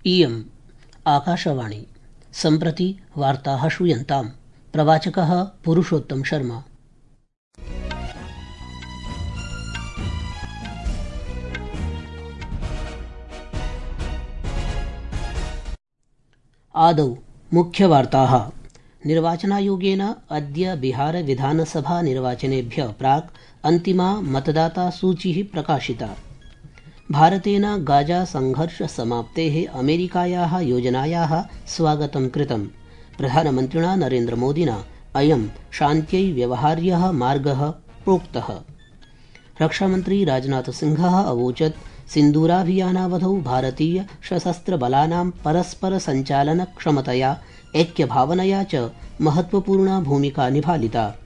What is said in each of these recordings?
इयम् आकाशवाणी। सम्प्रति वार्ताः श्रूयन्ताम्। प्रवाचकः पुरुषोत्तम शर्मा। आदौ मुख्यवार्ताः। निर्वाचनायोगेन अद्य बिहार विधानसभा निर्वाचनेभ्यः प्राक् अन्तिमा मतदाता सूचिः प्रकाशिता। भारतेन गाजा संघर्ष समाप्तेः अमेरिकायाः योजनायाः स्वागतं कृतम्। प्रधानमन्त्रिणा नरेन्द्रमोदिना अयं शान्त्यै व्यवहार्यः मार्गः प्रोक्तः। रक्षामन्त्री राजनाथसिंहः अवोचत् सिन्दूराभियानावधौ भारतीय सशस्त्रबलानां परस्पर सञ्चालनक्षमतया ऐक्यभावनया च महत्वपूर्णा भूमिका निभालिता।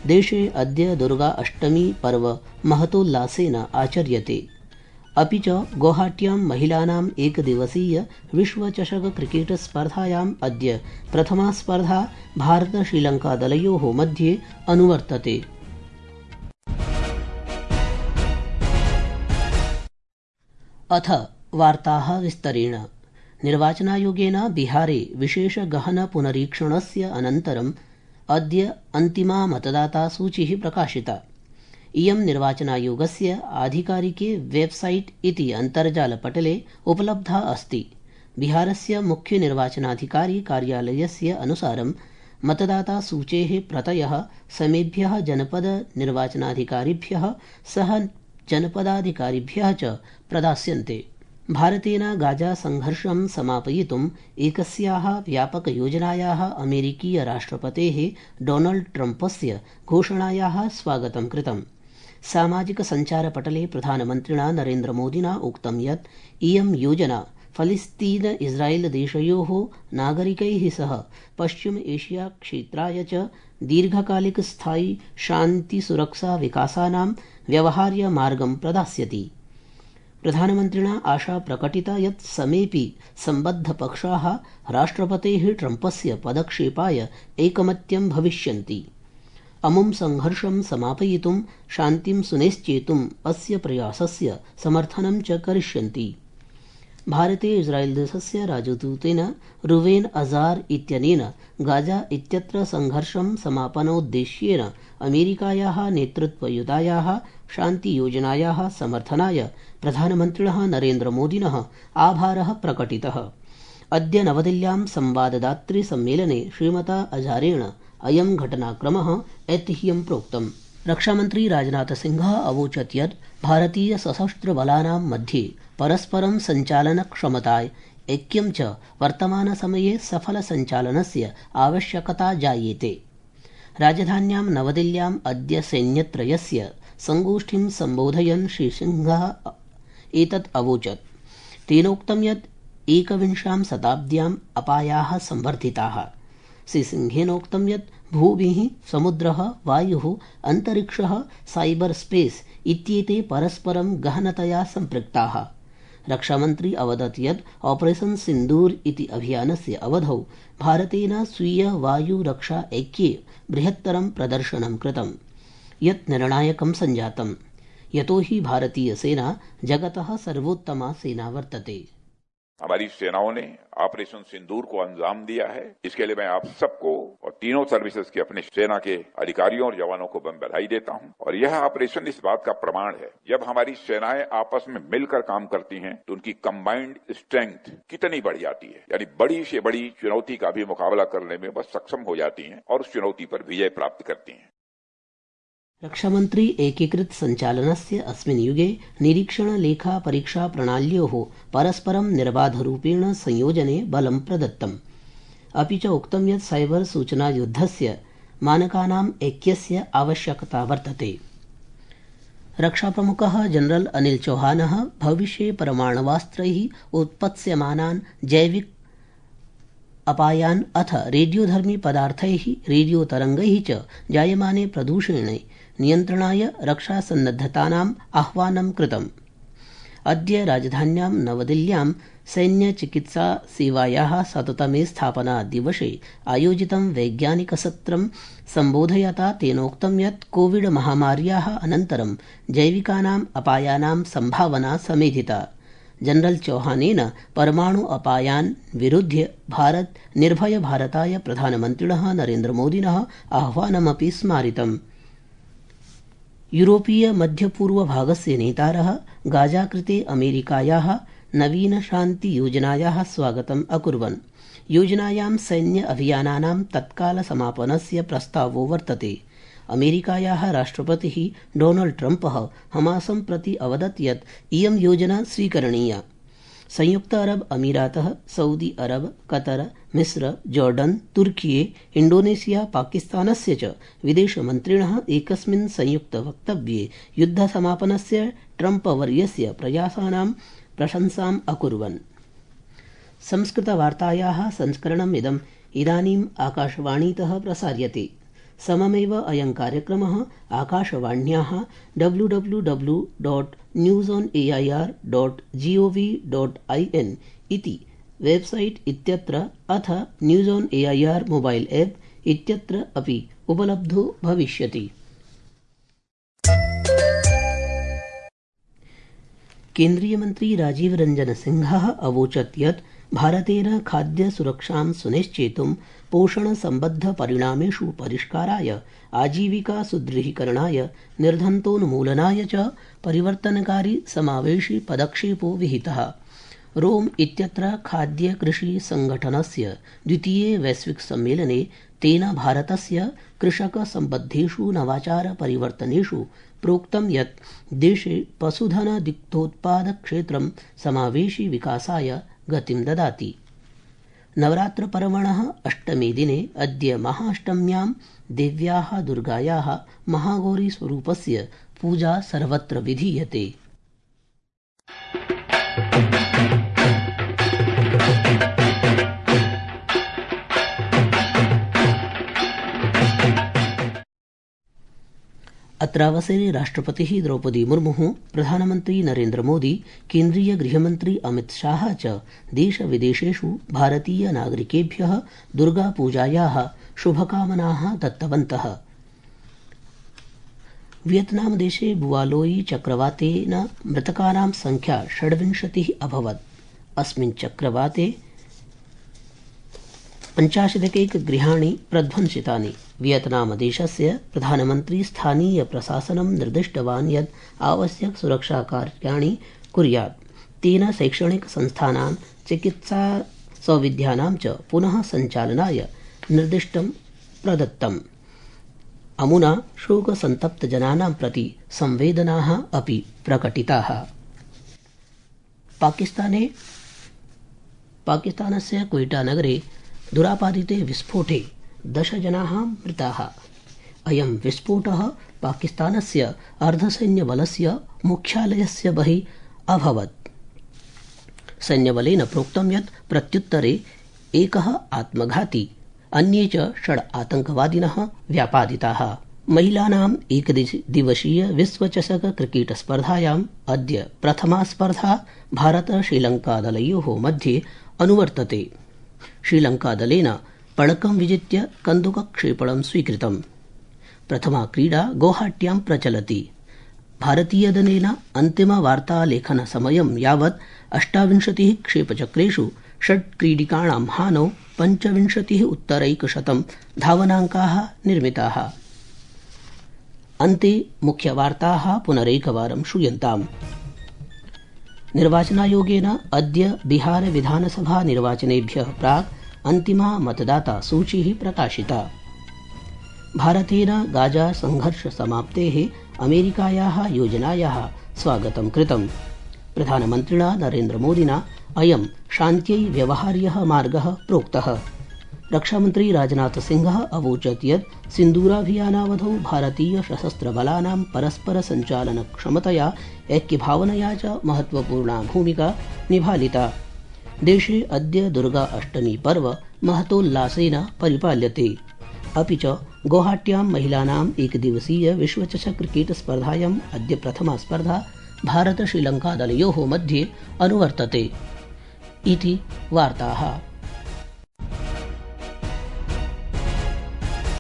देशे अद्य दुर्गा अष्टमी पर्व महतोल्लासेन आचर्यते। अपि च गुवाहाट्यां महिलानाम् एकदिवसीय विश्वचषक क्रिकेट स्पर्धायाम् अद्य प्रथमा स्पर्धा भारत श्रीलङ्का दलयोः मध्ये अनुवर्तते। अथ वार्ताः विस्तरेण। निर्वाचनायोगेन बिहारे विशेष गहन पुनरीक्षणस्य अनन्तरम् अद्य अन्तिमा मतदाता सूचिः प्रकाशिता। इयं निर्वाचनायोगस्य आधिकारिके वेबसाइट इति अन्तर्जालपटले उपलब्धा अस्ति। बिहारस्य मुख्य निर्वाचनाधिकारी कार्यालयस्य अनुसारं मतदाता सूचेः प्रतयः समेभ्यः जनपद निर्वाचनाधिकारिभ्यः सह जनपदाधिकारिभ्यः च प्रदास्यन्ते। भारतेन गाजा संघर्षं समापयितुम् एकस्याः व्यापकयोजनायाः अमेरिकीय राष्ट्रपतेः डोनाल्ड ट्रम्पस्य घोषणायाः स्वागतं कृतम्। सामाजिक सञ्चारपटले प्रधानमन्त्रिणा नरेन्द्रमोदिना उक्तं यत् इयं योजना फलिस्तीन इस्रायेल देशयोः नागरिकैः सह पश्चिम एशिया क्षेत्राय च दीर्घकालिकस्थायी शान्तिसुरक्षा विकासानां व्यवहार्य मार्गं प्रदास्यति। प्रधानमन्त्रिणा आशा प्रकटिता यत् समेऽपि सम्बद्धपक्षाः राष्ट्रपतेः ट्रम्पस्य पदक्षेपाय ऐकमत्यं भविष्यन्ति। अमुं संघर्षं समापयितुं शान्तिं सुनिश्चेतुम् अस्य प्रयासस्य समर्थनं च करिष्यन्ति। भारते इस्रायेल देशस्य राजदूतेन रुवेन अजार इत्यनेन गाजा इत्यत्र संघर्षं समापनोद्देश्येन अमेरिकायाः नेतृत्वयुतायाः शान्तियोजनायाः समर्थनाय प्रधानमन्त्रिणः नरेन्द्रमोदिनः आभारः प्रकटितः। अद्य नवदिल्ल्यां संवाददातृसम्मेलने श्रीमता अजारेण अयं घटनाक्रमः ऐतिह्यं प्रोक्तम्। रक्षामन्त्री राजनाथसिंहः अवोचत् यत् भारतीय सशस्त्रबलानां मध्ये परस्परं सञ्चालनक्षमताय ऐक्यं च वर्तमानसमये सफलसञ्चालनस्य आवश्यकता जायेते। राजधान्यां नवदिल्ल्याम् अद्य सैन्यत्रयस्य संगोष्ठीं सम्बोधयन् श्रीसिंहः एतत् अवोचत्। तेनोक्तं यत् एकविंशां शताब्द्याम् अपायाः संवर्धिताः। श्रीसिंहेनोक्तं यत् भूमिः, समुद्रः, वायुः, अन्तरिक्षः, साइबर स्पेस इत्येते परस्परं गहनतया सम्पृक्ताः। रक्षामन्त्री अवदत् यत् ऑपरेशन सिन्दूर इति अभियानस्य अवधौ भारतेन स्वीय वायुरक्षा ऐक्ये बृहत्तरं प्रदर्शनं कृतम्, यत् निर्णायकं सञ्जातम्। यतो हि भारतीय सेना जगतः सर्वोत्तमा सेना वर्तते। हमारी सेनाओं ने ऑपरेशन सिंदूर को अंजाम दिया है। इसके लिए मैं आप सबको और तीनों सर्विसेज के अपने सेना के अधिकारियों और जवानों को मैं बधाई देता हूं। और यह ऑपरेशन इस बात का प्रमाण है, जब हमारी सेनाएं आपस में मिलकर काम करती हैं तो उनकी कंबाइंड स्ट्रेंथ कितनी बढ़ जाती है। यानी बड़ी से बड़ी चुनौती का भी मुकाबला करने में वह सक्षम हो जाती हैं और उस चुनौती पर विजय प्राप्त करती हैं। रक्षामन्त्री एकीकृत सञ्चालनस्य अस्मिन् युगे निरीक्षण लेखा परीक्षा प्रणाल्योः परस्परं निर्बाधरूपेण संयोजने बलं प्रदत्तम्। अपि च उक्तं यत् साइबर सूचनायुद्धस्य मानकानाम् ऐक्यस्य आवश्यकता वर्तते। रक्षाप्रमुखः जनरल अनिल चौहानः भविष्ये परमाणवास्त्रैः उत्पत्स्यमानान् जैविक अपायान् अथ रेडियोधर्मी पदार्थैः रेडियोतरङ्गैः च जायमाने प्रदूषणे नियन्त्रणाय रक्षासन्नद्धतानाम् आह्वानं कृतम्। अद्य राजधान्यां नवदिल्ल्यां सैन्यचिकित्सासेवायाः 100तमे स्थापनादिवसे आयोजितं वैज्ञानिकसत्रं सम्बोधयता तेनोक्तं यत् कोविड महामार्याः अनन्तरं जैविकानाम् अपायानां सम्भावना समेधिता। जनरल चौहानेन परमाणु अपायान् विरुध्य भारत निर्भय भारताय प्रधानमन्त्रिणः नरेन्द्रमोदिनः आह्वानमपि स्मारितम्। यूरोपीय मध्यपूर्वभागस्य नेतारः गाजा कृते अमेरिकायाः नवीन शान्ति योजनायाः स्वागतम् अकुर्वन्। योजनायां सैन्य अभियानानां तत्काल समापनस्य प्रस्तावो वर्तते। अमेरिकायाः राष्ट्रपतिः डोनाल्ड ट्रम्पः हमासं प्रति अवदत् यत् इयं योजना स्वीकरणीया। संयुक्त अरब अमीरातः, सऊदी अरब, कतर, मिस्र, जॉर्डन, तुर्की, इंडोनेशिया, पाकिस्तानस्य च विदेशमन्त्रिणः एकस्मिन् संयुक्त वक्तव्ये युद्धसमापनस्य ट्रम्पवर्यस्य प्रयासानां प्रशंसाम् अकुर्वन्। संस्कृतवार्तायाः संस्करणम् इदानीम् आकाशवाणीतः प्रसार्यते। सममेव अयं कार्यक्रमः आकाशवाण्याः www.newsonair.gov.in इति वेबसाइट इत्यत्र अथ news on AIR mobile app इत्यत्र अपि उपलब्धो भविष्यति। केन्द्रीय मंत्री राजीव रंजन सिंहः अवोचत् यत् भारतेन खाद्य सुरक्षां सुनिश्चेतुं पोषण संबद्ध परिणामेषु परिष्काराय, आजीविका सुदृढीकरणाय, निर्धनतोन्मूलनाय च परिवर्तनकारी समावेशी पदक्षेपो विहितः। रोम इत्यत्र खाद्य कृषि संगठनस्य द्वितीये वैश्विक सम्मेलने तेन भारतस्य कृषक संबद्धेषु नवाचार परिवर्तनेषु प्रोक्तं यत् देशे पशुधन दुग्धोत्पाद क्षेत्रं समावेशी विकासाय गतिं ददाति। नवरात्रपर्वणः अष्टमे दिने अद्य महाअष्टम्यां देव्याः दुर्गायाः महागौरीस्वरूपस्य पूजा सर्वत्र विधीयते। अत्रावसरे राष्ट्रपतिः द्रौपदी मुर्मुः, प्रधानमन्त्री नरेन्द्र मोदी, केन्द्रीय गृहमन्त्री अमित शाह च देशविदेशेषु भारतीय नागरिकेभ्यः दुर्गापूजायाः शुभकामनाः दत्तवन्तः। वियतनाम देशे बुआलोई चक्रवातेन मृतकानां संख्या 26 अभवत्। अस्मिन् चक्रवाते 85 गृहाणि प्रध्वंसितानि। वियतनाम देशस्य प्रधानमन्त्री स्थानीय प्रशासनं निर्दिष्टवान् यत् आवश्यक सुरक्षा कार्याणि कुर्यात्। तेन शैक्षणिक संस्थानां, चिकित्सा सौविध्यानां च पुनः सञ्चालनाय निर्दिष्टं प्रदत्तम्। अमुना शोकसन्तप्तजनानां प्रति संवेदनाः अपि प्रकटिताः। पाकिस्तानस्य क्वेटा नगरे दुरापादिते विस्फोटे 10 जनाः मृताः। अयं विस्फोटः पाकिस्तानस्य अर्धसैन्यबलस्य मुख्यालयस्य बहिः अभवत्। सैन्यबलेन प्रोक्तं यत् प्रत्युत्तरे एकः आत्मघाती, अन्ये च 6 आतङ्कवादिनः व्यापादिताः। महिलानाम् एकदिवसीय विश्वचषक क्रिकेट स्पर्धायाम् अद्य प्रथमा स्पर्धा भारत श्रीलङ्का दलयोः मध्ये अनुवर्तते। श्रीलङ्का दलेन पणकं विजित्य कन्दुकक्षेपणं स्वीकृतम्। प्रथमा क्रीडा गौहाट्यां प्रचलति। भारतीयदलेन अन्तिमवार्तालेखनसमयं यावत् 28 क्षेपचक्रेषु 6 क्रीडिकाणां हानौ 25 धावनाङ्काः निर्मिताः। अन्ते मुख्यवार्ताः पुनरेकवारं श्रूयन्ताम्। निर्वाचनायोगेन अद्य बिहार विधानसभा निर्वाचनेभ्यः प्राक् अन्तिमा मतदाता सूचिः प्रकाशिता। भारतेन गाजा संघर्ष समाप्तेः अमेरिकायाः योजनायाः स्वागतं कृतम्। प्रधानमन्त्रिणा नरेन्द्रमोदिना अयं शान्त्यै व्यवहार्यः मार्गः प्रोक्तः। रक्षामन्त्री राजनाथसिंहः अवोचत् यत् सिन्दूराभियानावधौ भारतीय सशस्त्रबलानां परस्पर सञ्चालनक्षमतया, ऐक्यभावनया च महत्वपूर्णा भूमिका निभालिता। देशे अद्य दुर्गा अष्टमी पर्व महतोल्लासेन परिपाल्यते। अपि च गौहाट्यां महिलानाम् एकदिवसीय विश्वचषक क्रिकेट स्पर्धायाम् अद्य प्रथमा स्पर्धा भारत श्रीलङ्का दलयोः मध्ये अनुवर्तते। इति वार्ताः।